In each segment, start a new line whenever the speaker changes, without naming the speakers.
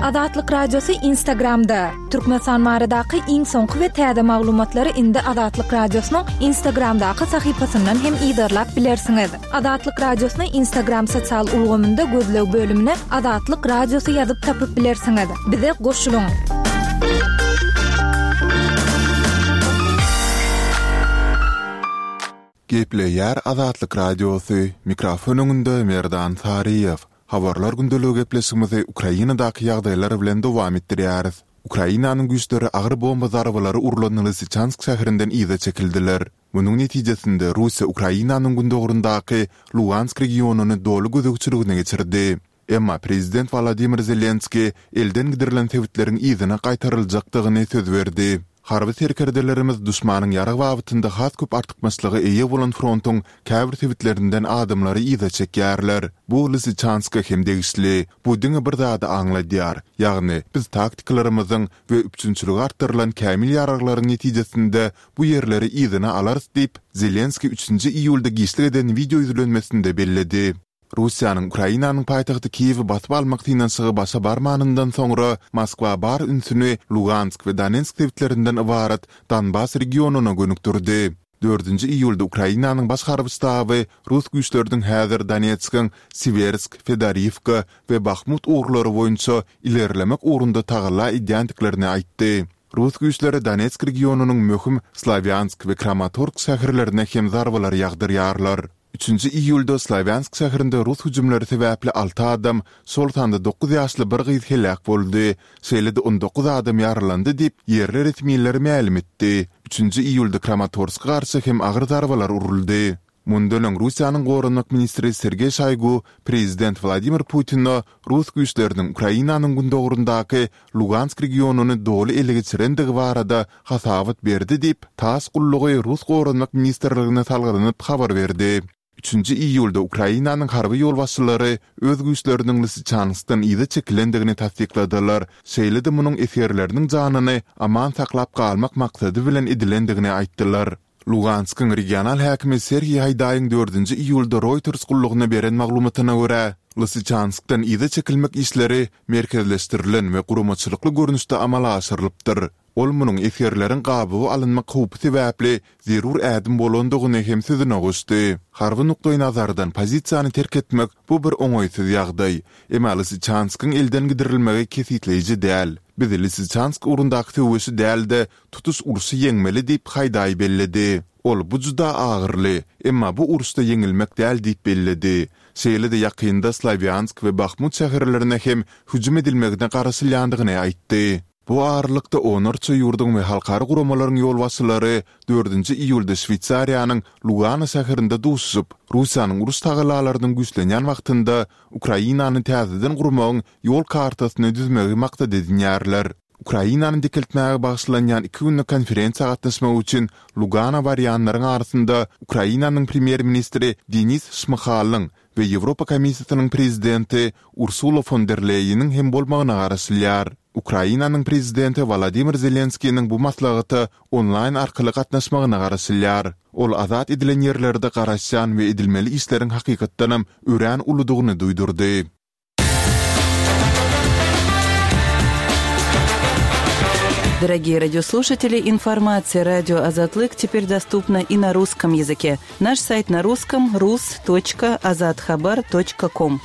Azatlyk Radiosy Instagramda! Türkmenistan baradaky iň soňky we täze maglumatlary indi Azatlyk Radiosynyň Instagramdaky sahypasyndan hem yzarlap bilersiňiz. Azatlyk Radiosyny Instagram sosial ulgamynda gözleg bölümine Azatlyk Radiosy ýazyp tapyp bilersiňiz. Bize goşulyň!
Gepleýär Azatlyk Radiosy, mikrofon öňünde Merdan Saryýew. Habarlar gündeligi gepleşigimizi Ukrainadaky ýagdaýlar bilen dowam etdirýäris. Ukrainanyň güýçleri agyr bomba zarbalary urlan Lysyçansk şäherinden yza çekildiler. Munuň netijesinde Russiýa Ukrainanyň gündogaryndaky Lugansk regionyny doly gözegçiligine geçirdi. Emma prezident Wolodymyr Zelenskiý elden gidirilen sebitleriň yzyna gaýtaryljakdygyny söz berdi. Harby serkerdelerimiz duşmanyň ýarag babatynda has köp artykmaçlyga eýe bolan frontuň käbir sebitlerinden adamlary yza çekýärler. Bu Lysyçanska hem degişli. Bu diňe bir zady aňladýar, ýagny biz taktikalarymyzyň we üpjünçiligi artdyrylan kämil ýaraglaryň netijesinde bu ýerleri yzyna alarys diýip, Zelenskiý üçünji iýulda giçlik eden wideo ýüzlenmesinde belledi. Russiýanyň Ukrainanyň paýtagty Kiýewi basyp almak synanyşygy başa barmanyndan soňra, Moskwa bar ünsüni Lugansk we Donetsk sebitlerinden ybarat Donbas regionyna gönükdirdi. Dördünji iýulda Ukrainanyň Baş harby ştaby rus güýçleriniň häzir Donetskiň Siwersk, Fedoriwka we Bahmut ugurlary boýunça ilerlemek ugrunda tagalla edýändiklerini aýtdy. Rus güýçleri Donetsk regionynyň möhüm Slawýansk we Kramatorsk şäherlerine hem zarbalar ýagdyrýarlar. Üçünji iýulda Slawýansk şäherinde rus hüjümleri sebäpli alty adam, şol sanda dokuz ýaşly bir gyz heläk boldy, şeýle-de 19 adam ýaralandy diýip, ýerli resmiler mälim etdi. Üçünji iýulda Kramatorska garşy hem agyr zarbalar uruldy. Mundan öň Russiýanyň goranmak ministri Sergeý Şoýgu prezident Wladimir Putine rus güýçleriniň Ukrainanyň gündogaryndaky Lugansk regionyny doly ele geçirendigi barada hasabat berdi diýip, tass gullugy rus Goranmak ministrligine salgylanyp habar berdi. Üçünji iýulda Ukrainanyň harby ýolbaşçylary öz güýçleriniň Lysyçanskdan yza çekilendigini tassykladylar, şeýle-de munuň esgerleriniň janyny aman saklap galmak maksady bilen edilendigini aýtdylar. Luganskyň regional häkimi Serhiý Haýdaýyň dördünji iýulda Reuters gullugyna beren maglumatyna görä, Lysyçanskdan yza çekilmek işleri merkezleşdirilen we guramaçylykly görnüşde amala aşyrylypdyr. Ol munuň esgerleriň gabawa alynmak howpy sebäpli zerur ädim bolandygyny hem sözüne goşdy. Harby nukdaýnazardan pozisiýany terk etmek bu bir oňaýsyz ýagdaý. Emma Lysyçanskyň elden gidirilmegi kesgitleýji däl. Biz Lysyçansk ugrundaky söweşi däl-de, tutuş urşy ýeňmeli diýip, Haýdaý belledi. Ol bu juda agyrly, emma bu uruşda ýeňilmek däl diýip belledi. Şeýle-de ýakynda Slawýansk we Bahmut şäherlerine hem hüjüm edilmegine garaşylýandygyny aýtdy. Bu aralykda onlarça ýurduň we halkara guramalaryň ýolbaşçylary dördünji iýulda Şweýsariýanyň Lugano şäherinde duşuşyp, Russiýanyň uruş tagallalarynyň güýçlenýän wagtynda Ukrainany täzeden gurmagyň ýol kartasyny düzmegi maksat edinýärler. Ukrainany dikeltmäge bagyşlanýan iki günlük konferensiýa gatnaşmak üçin Lugano barýanlaryň arasynda Ukrainanyň premýer-ministri Denis Şmyhalyň we Ýewropa Komissiýasynyň prezidenti Ursula fon der Leýeniň hem bolmagyna garaşylýar. Ukrainanyň prezidenti Wolodymyr Zelenskiniň bu maslahata onlaýn arkaly gatnaşmagyna garaşylýar. Ol azat edilen ýerlerde garaşýan we edilmeli işleriň hakykatdanam örän uludygyny duýdurdy.
Дорогие радиослушатели, информация радио Азатлык теперь доступна и на русском языке. Наш сайт на русском rus.azathabar.com.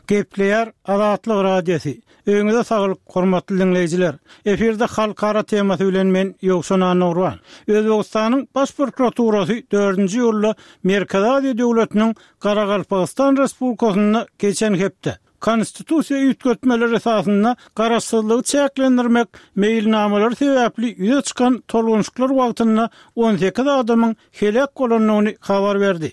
Gepleýär Azatlyk Radiosy. Öýüňize saglyk, hormatly diňleýjiler! Efirde Halkara temasy bilen men, Ýowşan Annagurban. Özbegistanyň Baş prokuraturasy dördünji iýulda Merkezi Aziýa döwletiniň Garagalpagystan Respublikasynda geçen hepde, Konstitusiýa üýtgetmeleri esasynda garaşsyzlygy çäklendirmek meýilnamalary sebäpli ýüze çykan tolgunyşyklar wagtynda 18 adamyň heläk bolandygyny habar berdi.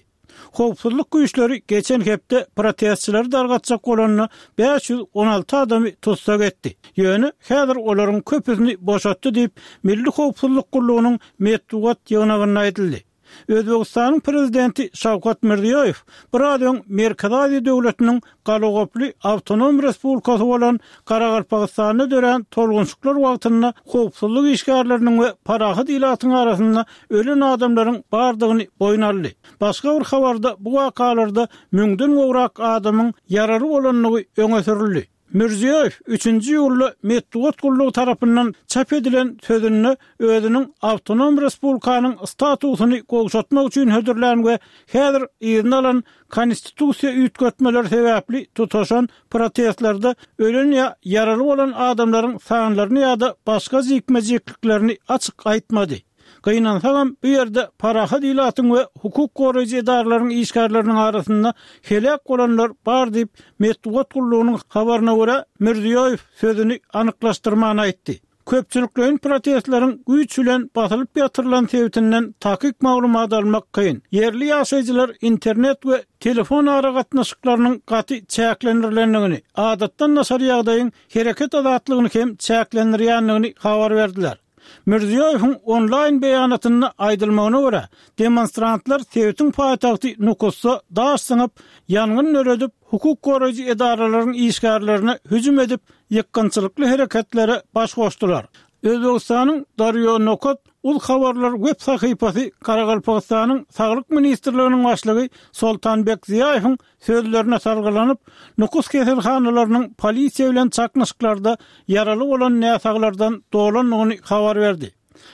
Howpsuzlyk güýçleri geçen hepde protestçileri dargatjak bolanda 516 adamy tussag etdi. Ýöne häzir olaryň köpüsini boşatdy diýip, Milli howpsuzlyk gullugynyň metbugat ýygnagynda aýdyldy. Özbegistanyň Prezidenti Şawkat Mirziýoýew biraz öň Merkezi Aziýa döwletiniň galagoply awtonom respublikasy bolan Garagalpagystanda dörän tolgunşyklar wagtynda howpsuzlyk işgärleriniň we parahat ilatyň arasynda ölen adamlaryň bardygyny boýun aldy. Başga bir habarda bu wakalarda müňden gowrak adamyň ýaraly bolandygy öňe sürüldi. Mirziýoýew üçünji iýulda metbugat gullugy tarapyndan çap edilen sözünde özüniň awtonom respublikanyň statusyny gowşatmak üçin hödürlän we häzir yzyna alan konstitusiýa üýtgetmeleri sebäpli tutaşan protestlerde ölen ýa ýaraly bolan adamlaryň sanlaryny ýa-da başga jikme-jikliklerini açyk aýtmady. Gynansagam, bu ýerde parahat ilatyň we hukuk goraýjy edaralaryň işgärleriniň arasynda heläk bolanlar bar diýip, metbugat gullugynyň habaryna görä, Mirziýoýew sözüni anyklaşdyrman aýtdy. Köpçülikleýin protestleriň güýç bilen basylyp ýatyrylan sebitinden takyk maglumat almak kyn. Ýerli ýaşaýjylar internet we telefon aragatnaşyklarynyň gaty çäklendirilendigini, adatdan daşary ýagdaýyň hereket azatlygyny hem çäklendirýändigini habar berdiler. Mirziýoýewiň onlaýn beýanatynda aýdylmagyna görä, demonstrantlar sebitiň paýtagty Nukusda daş zyňyp, ýangyn döredip, hukuk goraýjy edaralaryň işgärlerine hüjüm edip, ýykgynçylykly hereketlere baş goşdular. Özbegistanyň Daryo Nokat uz habarlar web sahypasy Garagalpagystanyň Saglyk ministrliginiň başlygy Soltanbek Ziýaýewiň sözlerine salgylanyp, Nukus keselhanalarynyň polisiýa bilen çaknyşyklarda ýaraly bolan näsaglardan dolandygyny habar berdi.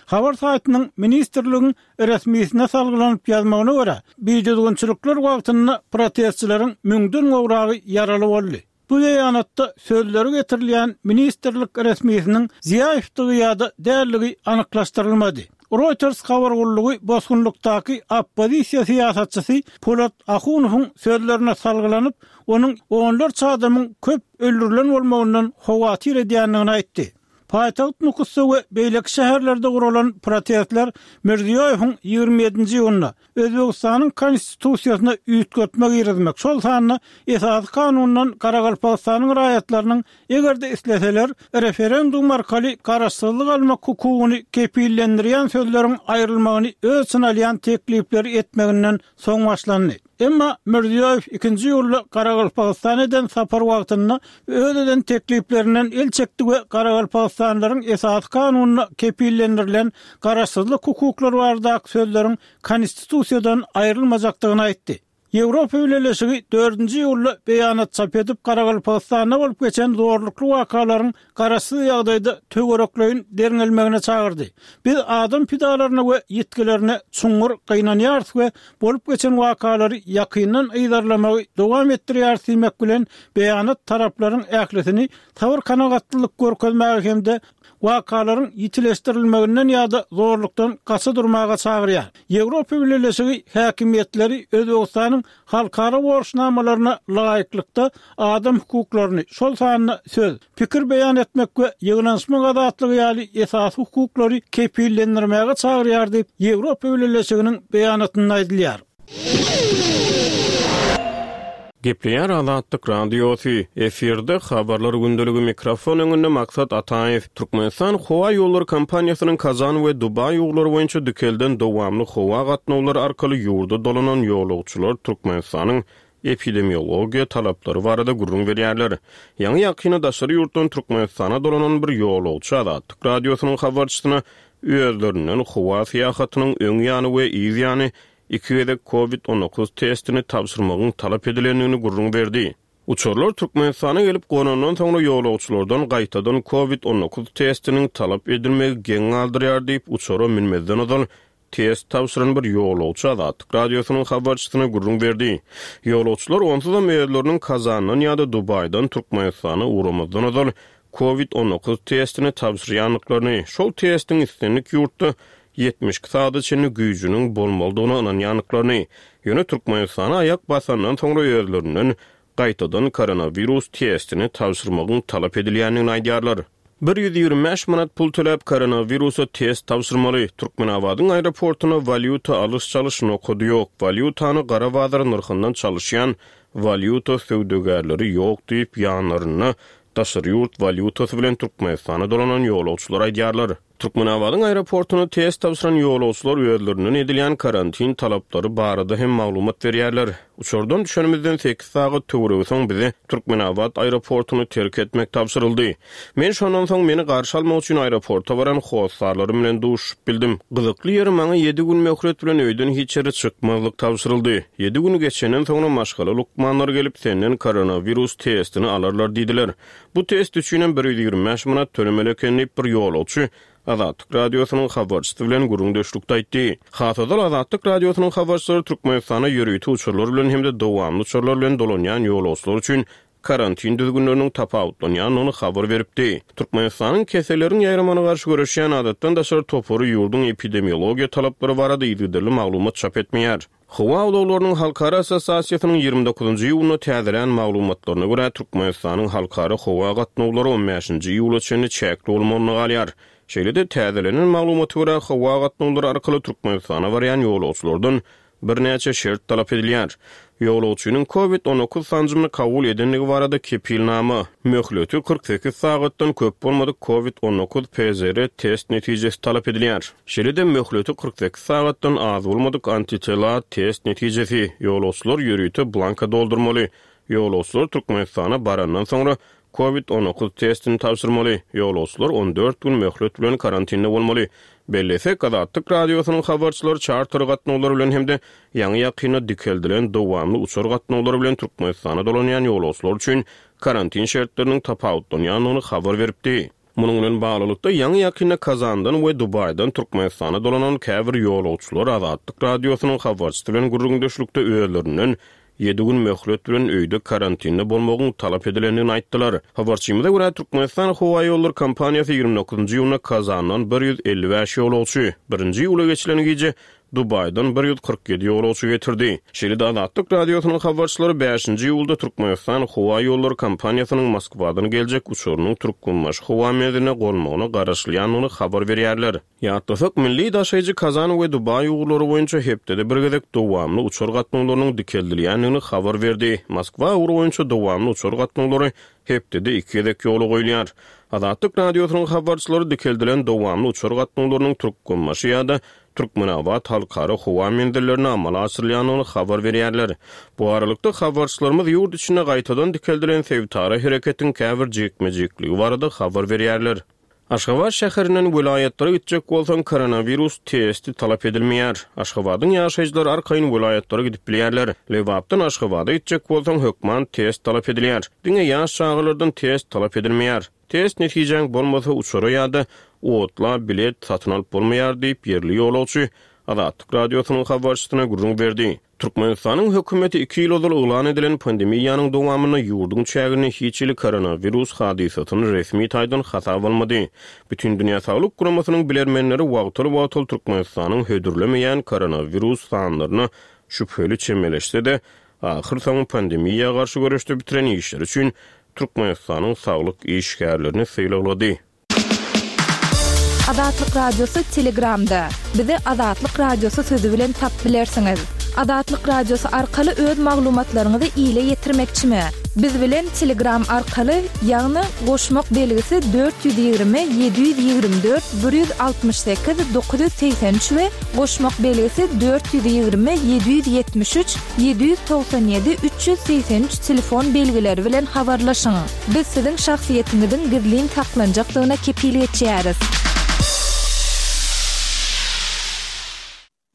Habar saýtynyň ministrligiň resmisine salgylanyp ýazmagyna görä, bidüzgünçilikler wagtynda protestçileriň müňden gowragy ýaraly boldy. Bu beýanatda sözleri getirilýän ministrlik resmisiniň Ziýaýewdigi ýa-da däldigi anyklaşdyrylmady. Reuters habar gullugy bosgunlykdaky oppozisiýa syýasatçysy Polat Ahunowyň sözlerine salgylanyp, onuň onlarça adamyň köp öldürilen bolmagyndan howatyr edýändigini aýtdy. Paýtagt Nukusda we beýleki şäherlerde guralan protestler Mirziýoýewiň 27-nji iýunda, Özbegistanyň Konstitusiýasyna üýtgetme girizmek, şol sanda Esasy Kanundan Garagalpagystanyň raýatlarynyň, eger-de isleseler, referendum arkaly garaşsyzlyk almak hukugyny kepillendirýän sözleriň aýrylmagyny öz içine alýan teklipleri etmeginden soň başlandy. Emma Mirziýoýew ikinji iýulda Garagalpagystana eden sapary wagtynda öz eden tekliplerinden el çekdi we garagalpagystanlylaryň Esasy Kanunda kepillendirilen garaşsyzlyk hukuklary baradaky sözleriň Konstitusiýadan aýrylmajakdygyny aýtdy. Ýewropa Bileleşigi dördünji iýulda beýanat çap edip, Garagalpagystanda bolup geçen zorlukly wakalaryň garaşsyz ýagdaýda töwerekleýin derňelmegine çagyrdy. Biz adam pidalaryna we ýitgilerine çuňňur gynanýarys we bolup geçen wakalary ýakyndan yzarlamagy dowam etdirýäris diýmek bilen, beýanat taraplaryň ählisini sabyr-kanagatlylyk görkezmäge hem-de wakalaryň ýitileşdirilmeginden ýa-da zorlukdan gaça durmaga çagyrýar. Ýewropa Bileleşigi häkimiýetleri Özbegistanyň halkara borçnamalaryna laýyklykda adam hukuklaryny, şol sanda söz, pikir beýan etmek we ýygnanyşmak azatlygy ýaly esasy hukuklary kepillendirmäge çagyrýar diýip, Ýewropa Bileleşiginiň beýanatynda aýdylýar.
Gepleýär Azatlyk Radiosy, efirde Habarlar gündeligi mikrofon öňünde Maksat Ataýew. Türkmenistan howa ýollary kompaniýasynyň Kazan we Dubaý ugurlary boýunça dikelden dowamly howa gatnawlary arkaly ýurda dolanan ýolagçylar Türkmenistanyň epidemiologiýa talaplary barada gürrüň berýärler. Ýaňy-ýakynda daşary ýurtdan Türkmenistana dolanan bir ýolagçy Azatlyk Radiosynyň habarçysyna özlerinden howa syýahatynyň öň ýany we yz ýany iki gezek Covid 19 testini tabşyrmagyň talap edilendigini gürrüň berdi. Uçarlar Türkmenistana gelip gonandan soňra ýolagçylardan gaýtadan Covid 19 testiniň talap edilmegi geň galdyrýar diýip, uçara münmezden ozal test tabşyran bir ýolagçy Azatlyk Radiosynyň habarçysyna gürrüň berdi. Ýolagçylar onsuzam özleriniň Kazandan ýa-da Dubaýdan Türkmenistana ugramazdan ozal Covid 19 testini tabşyrýandyklaryny, şol testiň islendik ýurtda 72 sagada çenli güýjüniň bolmalydygyna ynanýandyklaryny, ýöne Türkmenistana aýak basandan soňra özlerinden gaýtadan koronawirus testini tabşyrmagyň talap edilýändigini aýdýarlar. 125 manat pul töläp koronawirusa test tabşyrmaly. Türkmenabadyň aeroportunda walýuta alyş-çalyş nokady ýok. Walýutany gara bazar nyrhyndan çalyşýan walýuta söwdagärleri ýok diýip, ýanlarynda daşary ýurt walýutasy bilen Türkmenistana dolanan ýolagçylar aýdýarlar. Türkmenabadyň aeroportunda test tabşyran ýolagçylar özlerinden edilýän karantin talaplary barada hem maglumat berýärler. Uçardan düşenimizden sekiz sagat töweregi soň bize Türkmenabat aeroportuny terk etmek tabşyryldy. Men şondan soň meni garşy almak üçin aeroporta baran hossarlarym bilen duşuşyp bildim. Gyzykly ýeri maňa ýedi gün möhlet bilen öýden hiç ýere çykmazlyk tabşyryldy. Ýedi gün geçenden soňra maşgala lukmanlary gelip senden koronawirus testini alarlar diýdiler. Bu test üçinem 125 manat tölemeli eken diýip bir ýolagçy Azatlyk Radiosynyň habarçysy bilen gürrüňdeşlikde aýtdy. Has ozal Azatlyk Radiosynyň habarçylary Türkmenistana ýörite uçarlar bilen hem-de dowamly uçarlar bilen dolanýan ýolagçylar üçin karantin düzgünleriniň tapawutlanýandygyny habar beripdi. Türkmenistanyň keselleriň ýaýramagyna garşy göreşýän adatdan daşary topary ýurduň epidemiologiýa talaplary barada yzygiderli maglumat çap etmeýär. Howa ulaglarynyň halkara assosiasiýasynyň 29 iýunda täzelän maglumatlaryna görä, Türkmenistanyň halkara howa gatnawlary on bäşinji iýula çenli çäkli bolmagyna galýar. Şeýle-de, täzelenen maglumata görä, howa gatnawlary arkaly Türkmenistana barýan ýolagçylardan birnäçe şert talap edilýär. Ýolagçynyň Covid 19 sanjymyny kabul edendigi barada kepilnama, möhleti 48 sagatdan köp bolmadyk Covid 19 PCR test netijesi talap edilýär. Şeýle-de möhleti 48 sagatdan az bolmadyk antitela test netijesi, ýolagçylar ýörite blanka doldurmaly. Ýolagçylar Türkmenistana barandan soňra Covid 19 testini tabşyrmaly, ýolagçylar 14 gün möhlet bilen karantinde bolmaly. Bellesek, Azatlyk Radiosynyň habarçylary çarter gatnawlary bilen hem-de ýaňy-ýakynda dikeldilen dowamly uçar gatnawlary bilen Türkmenistana dolanýan ýolagçylar üçin karantin şertleriniň tapawutlanýandygyny habar beripdi. Munuň bilen baglylykda, ýaňy-ýakynda Kazandan we Dubaýdan Türkmenistana dolanan käbir ýolagçylar Azatlyk Radiosynyň habarçysy bilen gürrüňdeşlikde özlerinden ýedi gün möhlet bilen öýde karantinde bolmagyň talap edilendigini aýtdylar. Habarçymyza görä, Türkmenistan howaýollary kompaniýasy 29 iýunda Kazandan 155 ýolagçy, birinji iýula geçilen gije Dubaýdan 147 ýolagçy getirdi. Şeýle-de Azatlyk Radiosynyň habarçylary bäşinji iýulda Türkmenistan howa ýollary kompaniýasynyň Moskwadan geljek uçarynyň Türkmenbaşy howa menziline gonmagyna garaşylýandygyny habar berýärler. Ýatlasak, milli daşaýjy Kazan we Dubaý ugurlary boýunça hepdede bir gezek dowamly uçar gatnawlarynyň dikeldilýändigini habar berdi. Moskwa ugry boýunça dowamly uçar gatnawlary hepdede iki gezek ýola goýulýar. Azatlyk Radiosynyň habarçylary dikeldilen dowamly uçar gatnawlarynyň Türkmenbaşy ýa-da Türkmenabat halkara howa menzillerine amala aşyrylýandygyny habar berýärler. Bu aralykda, habarçylarymyz ýurt içinde gaýtadan dikeldilen sebitara hereketiň käbir jikme-jikligi barada habar berýärler. Aşgabat şäherinden welaýatlara gitjek bolsaň, koronawirus testi talap edilmeýär. Aşgabadyň ýaşaýjylary arkaýyn welaýatlara gidip bilýärler. Lebapdan Aşgabada gitjek bolsaň, hökman test talap edilýär. Diňe ýaş çagalardan test talap edilmeýär. Test netijäň bolmasa uçara ýa-da otla bilet satyn alyp bolmaýar diýip, ýerli ýolagçy Azatlyk Radiosynyň habarçysyna gürrüň berdi. Türkmenistanyň hökümeti iki ýyl ozal yglan edilen pandemiýanyň dowamynda ýurduň çäginde hiç hili koronawirus hadysasyny resmi taýdan hasaba almady. Bütindünýä Saglyk Guramasynyň bilermenleri wagtal-wagtal Türkmenistanyň hödürlemeýän koronawirus sanlaryna şübheli çemeleşse-de, Ahyrsoňy pandemiýa garşy göreşde bitiren işleri üçin Türkmenistanyň saglyk işgärlerini sylaglady.
Azatlyk Radiosy Telegramda. Bizi Azatlyk Radiosy sözi bilen tap bilersiňiz. Azatlyk Radiosy arkaly öz maglumatlaryňyzy ile ýetirmekçimi? Biz bilen Telegram arkaly, ýagny goşmak belgisi 420 724 168 983 we goşmak belgisi 420 773 797 383 telefon belgileri bilen habarlaşyň. Biz siziň şahsyýetiňiziň gizlin saklanjakdygyna kepil geçýäris.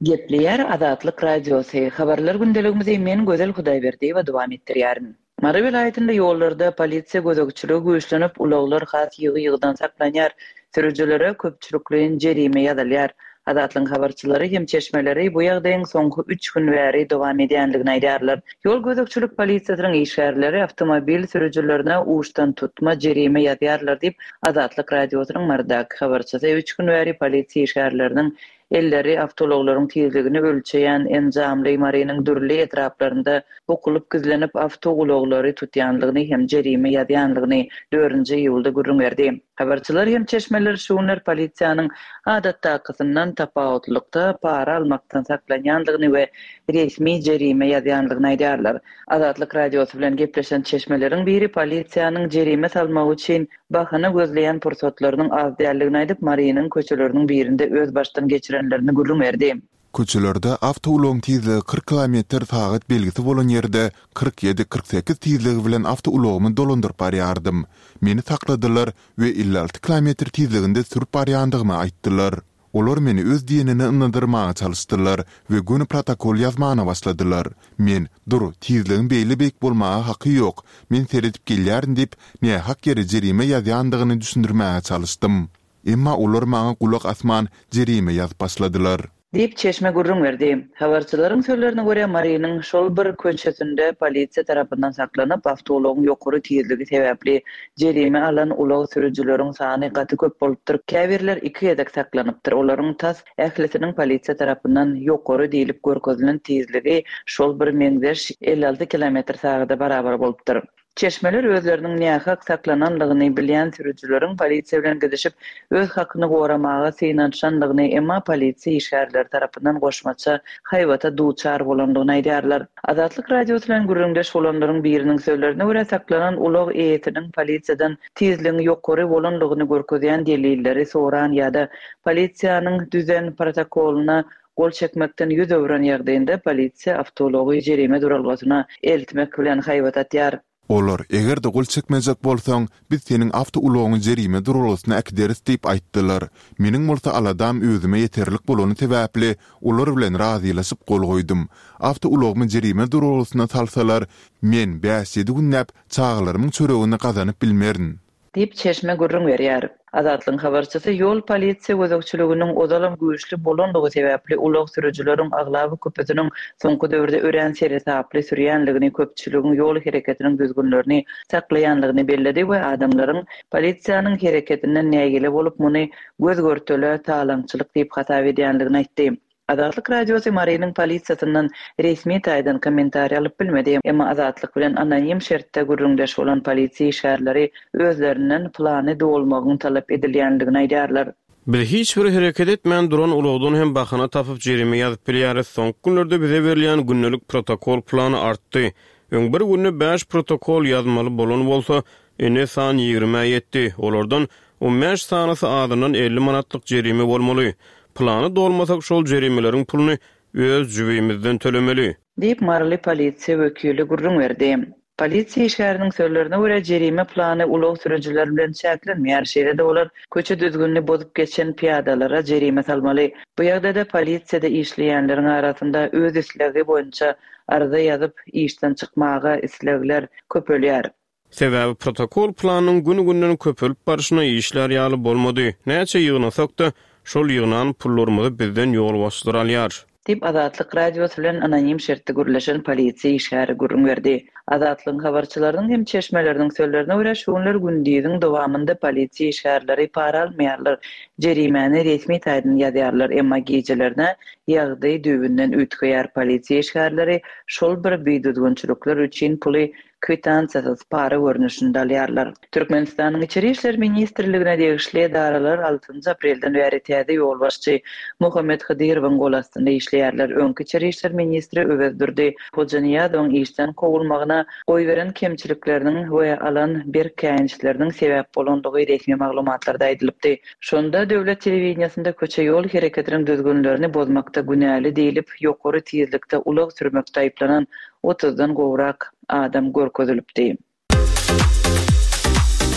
Gepleýär Azatlyk Radiosy, Habarlar gündeligimizi men Gözel Hudaýberdiýewa dowam etdirýärin. Mary welaýatynda ýollarda polisiýa gözegçiligi güýçlenip, ulaglar has ýygy-ýygydan saklanýar, sürüjilere köpçülikleýin jerime ýazylýar. Azatlygyň habarçylary hem çeşmeleri bu ýagdaýyň soňky üç gün bäri dowam edýändigini aýdýarlar. Ýol gözegçilik polisiýasynyň işgärleri awtomobil sürüjilerine uçdantutma jerime ýazýarlar diýip, Azatlyk Radiosynyň Marydaky habarçysy üç gün bäri polisiýa işgärleriniň. elleri awtoulaglaryň tizligini ölçeýän enjamly Marynyň dürli etraplarynda bukulyp gizlenip awtoulaglary tutýanlygyny hem jerime ýazýanlygyny dördünji iýulda gürrüň berdi. Habarçylar hem çeşmeler şu günler polisiýanyň adatdakysyndan tapawutlylykda para almakdan saklanýandygyny we resmi jerime ýazýandygyny aýdýarlar. Azatlyk Radiosy bilen gepleşen çeşmeleriň biri polisiýanyň jerime salmagy üçin bahana gözleýän pursatlarynyň az däldigini aýdyp, Marynyň köçeleriniň birinde öz başdan geçirenlerini gürrüň berdi.
Köçelerde awtoulagyň tizligi 40 kilometr sagat belgisi bolan ýerde 47, 48 tizligi bilen awtoulagymy dolandyryp barýardym. Meni sakladylar we 56 kilometr tizliginde sürüp barýandygymy aýtdylar. Olar meni öz diýenine ynandyrmaga çalyşdylar we göni protokol ýazmana başladylar. Men, Dur, tizligiň beýle beýik bolmaga haky ýok, men seredip gelýärin diýip, nähak ýere jerime ýazýandygyny düşündirmäge çalyşdym. Emma olar maňa gulak asman, jerime ýazyp başladylar.
Diýip, çeşme gürrüň berdi. Habarçylaryň sözlerine görä, Marynyň şol bir köçesinde polisiýa tarapyndan saklanyp, awtoulagyň ýokary tizligi sebäpli jerime alan ulag sürüjileriň sany gaty köp bolupdyr, käbirler iki gezek saklanypdyr, olaryň tas ählisiniň polisiýa tarapyndan ýokary diýlip görkezilen tizligi şol bir meňzeş 56 kilometr sagada barabar bolupdyr. Çeşmeler özleriniň nähak saklananlygyny bilýän sürüjileriň polisiýa bilen gidişip, öz hakyny goramaga synanyşanlygyny, emma polisiýa işgärleri tarapyndan goşmaça haýbata duçar bolandygyny aýdýarlar. Azatlyk Radiosy bilen gürrüňdeş bolanlaryň biriniň sözlerine görä, saklanan ulag eýesiniň polisiýadan tizligiň ýokary bolanlygyny görkezýän delilleri soran ýa-da polisiýanyň düzen protokolyna Gol çekmekden ýüz öwren ýagdaýynda polisiýa awtoulagy jerime duralgasyna eltmek bilen haýbat atýar.
Olar, eger-de gol çekmejek bolsaň, biz seniň awtoulagyňy jerime duralgasyna äkideris diýip aýtdylar. Meniň bolsa aladam özüme ýeterlik bolany sebäpli, olar bilen razylaşyp gol goýdum. Awtoulagymy jerime duralgasyna salsalar, men bäş-ýedi günläp çagalarymyň çöregini gazanyp bilmerin.
Diýip, çeşme gürrüň berýär. Azatlygyň habarçysy ýol polisiýa gözegçiliginiň ozalam güýçli bolandygy sebäpli ulag sürüjileriň aglaba köpüsiniň soňky döwürde örän seresaply sürýänligini, köpçüligiň ýol hereketiniň düzgünlerini saklaýanlygyny belledi we adamlaryň polisiýanyň hereketinden nägile bolup, muny göz-görtele talaňçylyk diýip hasap edýänligini aýtdy. Azatlyk Radiosy Marynyň polisiýasyndan resmi taýdan kommentariý alyp bilmedi. Emma Azatlyk bilen anonim şertde gürrüňdeş bolan polisiýa işgärleri özlerinden plany dolmagyň talap edilýändigini aýdýarlar.
Biz hiç bir hereket etmän duran ulagdan hem bahana tapyp jerime ýazyp bilýäris. Soňky günlerde bize berilýän gündelik protokol plany artdy. Öň bir günde bäş protokol ýazmaly bolan bolsa, indi san ýigrimä ýetdi. Olardan On bäş sanysy azyndan 50 manatlyk jerime bolmaly. Plany dolmasak şol jerimeleriň puluny öz jübimizden tölemeli.
Diýip, maryly polisiýa wekili gürrüň berdi. Polisiýa işgäriniň sözlerine görä, jerime plany ulag sürüjileri bilen çäklenmeýär, şeýle-de olar köçe düzgünini bozup geçen pyýadalara jerime salmaly. Bu ýagdaýda polisiýada işleýänleriň arasynda öz islegi boýunça arza ýazyp, işden çykmaga islegler köpelýär.
Sebäbi protokol planynyň gün-günden köpelip barşyna işlär ýaly bolmady. Näçe ýygnasak-da, şol ýygnan pullarymyzy bizden ýolbaşçylar alýar.
Diýip, Azatlyk Radiosy bilen anonim şertde gürleşen polisiýa işgäri gürrüň berdi. Azatlygyň habarçylarynyň hem çeşmeleriniň sözlerine görä, şu günler gündiziň dowamynda polisiýa işgärleri para almaýarlar, jerimäni resmi taýdan ýazýarlar, emma gijelerine ýagdaý düýbünden üýtgeýär, polisiýa işgärleri şol bir bidüzgünçilikler üçin puly kwitansiýasyz para görnüşinde alýarlar. Türkmenistanyň Içeri işler ministrligine degişli edaralar altynjy aprelden bäri täze ýolbaşçy Muhammet Hydyrowyň gol astynda işleýärler. Öňki içeri işler ministri Öwezdurdy Hojanyýazowyň işden kowulmagyna goýberen kemçilikleriniň we alan berk käýinçleriniň sebäp bolandygy resmi maglumatlarda aýdylypdy. Şonda döwlet telewideniýesinde köçe-ýol hereketiniň düzgünlerini bozmakda günäli diýlip, ýokary tizlikde ulag sürmekde aýyplanan otuzdan gowrak adam görkezilipdi.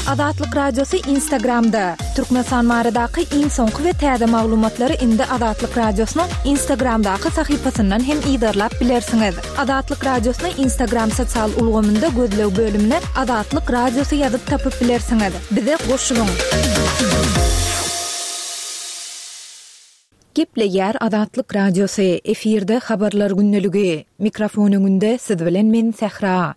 Azatlyk Radiosy Instagramda, Türkmenistan baradaky iň soňky we täze maglumatlary indi Azatlyk Radiosynyň Instagramdaky sahypasyndan hem yzarlap bilersiňiz. Azatlyk Radiosyny Instagram sosial ulgamynda gözleg bölümine Azatlyk Radiosy ýazyp tapyp bilersiňiz. Bize goşulyň! Gepleýär Azatlyk Radiosy, efirde Habarlar gündeligi. Mikrofon öňünde siz bilen men Sähra.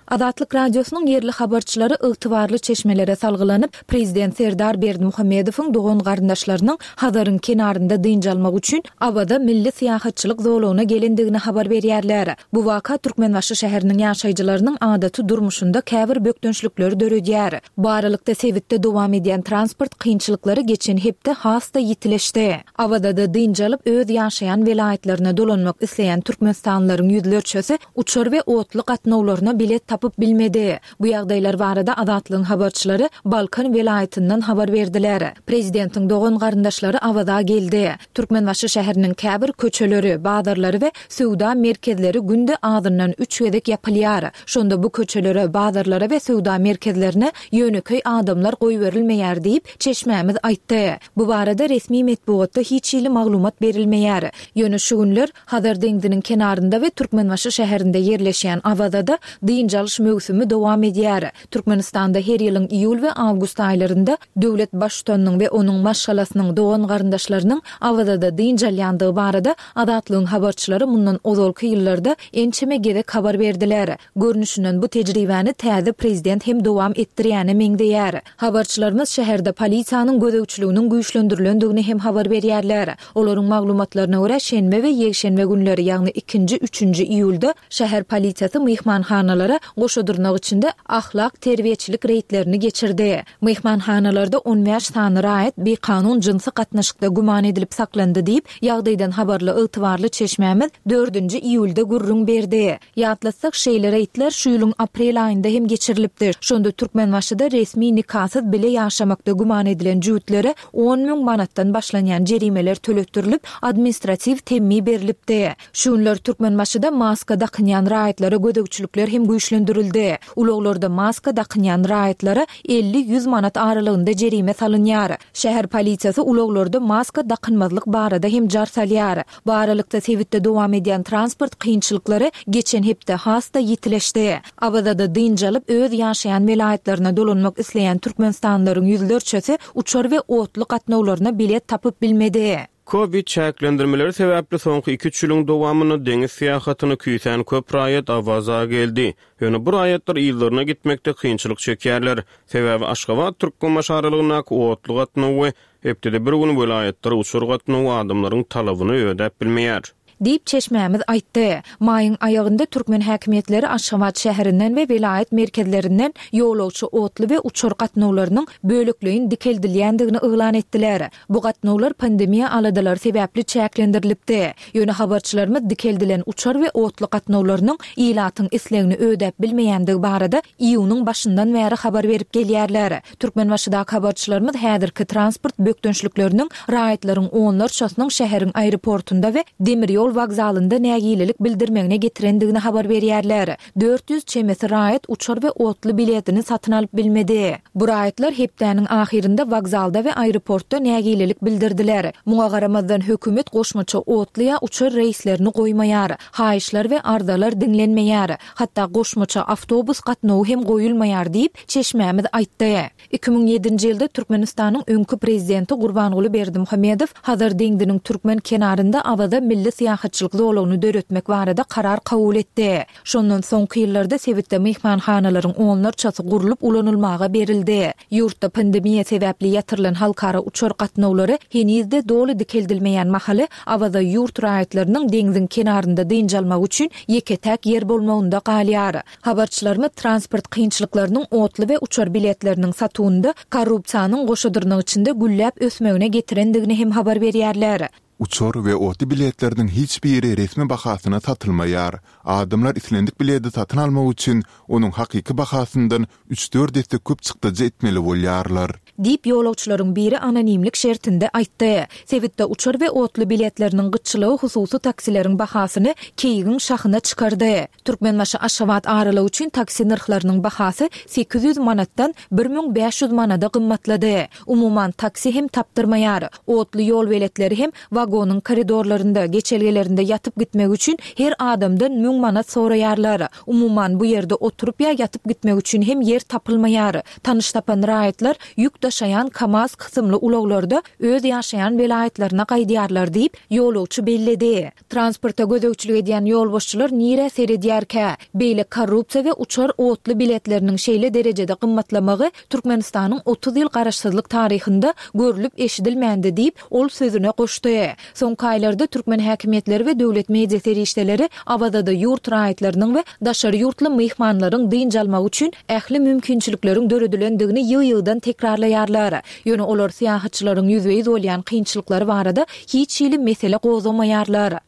Azatlyk Radiosynyň ýerli habarçylary ygtybarly çeşmelere salgylanyp, prezident Serdar Berdimuhamedowyň dogan-garyndaşlarynyň Hazaryň kenarynda dynç almak üçin Awaza milli syýahatçylyk zolagyna gelendigini habar berýärler. Bu waka Türkmenbaşy şäheriniň ýaşaýjylarynyň adaty durmuşynda käbir bökdençlikleri döredýär. Bu aralykda sebitde dowam edýän transport kynçylyklary geçen hepde has-da ýitileşdi. Awazada dynç alyp, öz ýaşaýan welaýatlaryna dolanmak isleýän türkmenistanlylaryň ýüzlerçesi uçar we otly gatnawlaryna bilet tapyp bilmedi. Bu ýagdaýlar barada Azatlygyň habarçylary Balkan welaýatyndan habar berdiler. Prezidentiň dogan-garyndaşlary Awaza geldi. Türkmenbaşy şäheriniň käbir köçeleri, bazarlary we söwda merkezleri günde azyndan üç gezek ýapylýar. Şonda bu köçelere, bazarlara we söwda merkezlerine ýönekeý adamlar goýberilmeýär diýip, çeşmämiz aýtdy. Bu barada resmi metbugatda hiç hili maglumat berilmeýär. Ýöne şu günler Hazar deňziniň kenarynda we Türkmenbaşy şäherinde ýerleşýän Awazada dynç alyş möwsümi dowam edýär. Türkmenistanda her ýylyň iýul we awgust aýlarynda döwlet Baştutanynyň we onuň maşgalasynyň, dogan-garyndaşlarynyň Awazada dynç alýandygy barada Azatlygyň habarçylary mundan ozalky ýyllarda ençeme gezek habar berdiler. Görnüşinden bu tejribäni täze prezident hem dowam etdirýäne meňzeýär. Habarçylarymyz şäherde polisiýanyň gözegçiliginiň güýçlendirilendigini hem habar berýärler. Olaryň maglumatlaryna görä, şenbe we ýekşenbe günleri, ýagny ikinji, üçünji iýulda şäher polisiýasy myhmanhanalara goşa dyrnak içinde ahlak-terbiýeçilik reýdlerini geçirdi. Myhmanhanalarda 15 sany raýat bikanun jynsy gatnaşykda güman edilip saklandy diýip, ýagdaýdan habarly ygtybarly çeşmämiz dördünji iýulda gürrüň berdi. Ýatlatsak, şeýle reýdler şu ýylyň aprel aýynda hem geçirilipdi. Şonda Türkmenbaşyda resmi nikasyz bile ýaşamakda güman edilen jübütlere 10 müň manatdan başlanýan jerimeler töletdirilip, administratiw temmi berlipdi. Şu günler Türkmenbaşyda maska dakynýan raýatlara gözegçilikler hem güýçlendirildi. Ulaglarda maska dakynýan raýatlara 50-100 manat aralygynda jerime salynýar. Şäher polisiýasy ulaglarda maska dakynmazlyk barada hem jar salýar. Bu aralykda, sebitde dowam edýän transport kynçylyklary geçen hepde has-da ýitileşdi. Awazada dynç alyp, öz ýaşaýan welaýatlaryna dolanmak isleýän türkmenistanlylaryň ýüzlerçesi uçar we otly gatnawlaryna bilet tapyp bilmedi.
Kowid çäklendirmeleri sebäpli soňky iki-üç ýylyň dowamynda deňiz syýahatyny küýsän köp raýat Awaza geldi. Ýöne bu raýatlar yzlaryna gitmekde kynçylyk çekýärler. Sebäbi Aşgabat-Türkmenbaşy aralygyndaky otly gatnaw we Hepdede bir gün welaýatlara uçar gatnawy adamlaryň talabyny ödäp bilmeýär.
Diýip, çeşmämiz aýtdy. Maýyň aýagynda türkmen häkimiýetleri Aşgabat şäherinden we welaýat merkezlerinden ýolagçy otly we uçar gatnawlarynyň bölekleýin dikeldilýändigini yglan etdiler. Bu gatnawlar pandemiýa aladalary sebäpli çäklendirilipdi. Ýöne habarçylarymyz dikeldilen uçar we otly gatnawlarynyň ilatyň islegini ödäp bilmeýändigi barada iýunyň başyndan bäri habar berip gelýärler. Türkmenbaşydaky habarçylarymyz häzirki transport bökdençlikleriniň raýatlaryň onlarçasynyň şäheriň aeroportunda we demir ýol wokzalynda nägilelik bildirmegine getirendigini habar berýärler. 400 çemesi raýat uçar we otly biletini satyn alyp bilmedi. Bu raýatlar hepdäniň ahyrynda wokzalda we aeroportda nägilelik bildirdiler. Muňa garamazdan, hökümet goşmaça otly ýa uçar reýslerini goýmaýar. Haýyşlar we arzalar diňlenmeýär. Hatda goşmaça awtobus gatnawy hem goýulmaýar diýip, çeşmämiz aýtdy. 2007-nji ýylda Türkmenistanyň öňki prezidenti Gurbanguly Berdimuhamedow Hazar deňziniň türkmen kenarynda Awaza milli syýahatçylyk zolagyny döretmek barada karar kabul etdi. Şondan soňky ýyllarda sebitde myhmanhanalaryň onlarçasy gurlup ulanylmaga berildi. Ýurtda pandemiýa sebäpli ýatyrylan halkara uçar gatnawlary heniz-de doly dikeldilmeýän mahaly, Awaza ýurt raýatlarynyň deňziň kenarynda dynç almagy üçin ýeke-täk ýer bolmagynda galýar. Habarçylarymyz transport kynçylyklarynyň otly we uçar biletleriniň satuwynda korrupsiýanyň goşa dyrnak içinde gülläp ösmegine getirendigini hem habar berýärler.
Uçar we otly biletleriniň hiç biri resmi bahasyna satylmaýar. Adamlar islendik biledi satyn almak üçin onuň hakyky bahasyndan üç-dört esse köp çykdajy etmeli bolýarlar.
Diýip, ýolagçylaryň biri anonimlik şertinde aýtdy. Sebitde uçar we otly biletleriniň gytçylygy hususy taksileriň bahasyny keýigiň şahyna çykardy. Türkmenbaşy-Aşgabat aralygy üçin taksi nyrhlarynyň bahasy 800 manatdan 1500 manada gymmatlady. Umuman, taksi hem tapdyrmaýar. Otly ýolbeletleri hem. Wagonyň koridorlarynda, geçelgelerinde ýatyp gitmek üçin her adamdan müň manat soraýarlar. Umuman, bu ýerde oturyp ýa ýatyp gitmek üçin hem ýer tapylmaýar. Tanyş tapan raýatlar ýük daşaýan KAMAZ kysymly ulaglarda öz ýaşaýan welaýatlaryna gaýdýarlar diýip, ýolagçy belledi. Transporta gözegçilik edýän ýolbaşçylar nirä seredýärkä? Beýle korrupsiýa we uçar otly biletleriniň şeýle derejede gymmatlamagy Türkmenistanyň 30 ýyl garaşsyzlyk taryhynda görlüp-eşidilmändi diýip, ol sözüne goşdy. Soňky aýlarda türkmen häkimiýetleri we döwlet media serişdeleri Awazada ýurt raýatlarynyň we daşary ýurtly myhmanlaryň dynç almagy üçin ähli mümkinçilikleriň döredilendigini ýygy-ýygydan tekrarlaýarlar. Ýöne olar syýahatçylaryň ýüzbe-ýüz bolýan kynçylyklary barada hiç hili mesele gozgamaýarlar.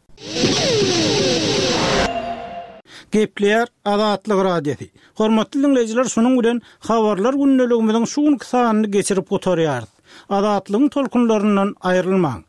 Gepleýär Azatlyk Radiosy. Hormatly diňleýjiler şunuň bilen Habarlar gündeligimiziň şu günki sanyny geçirip gutarýarys. Azatlygyň tolkunlaryndan aýrylmaň!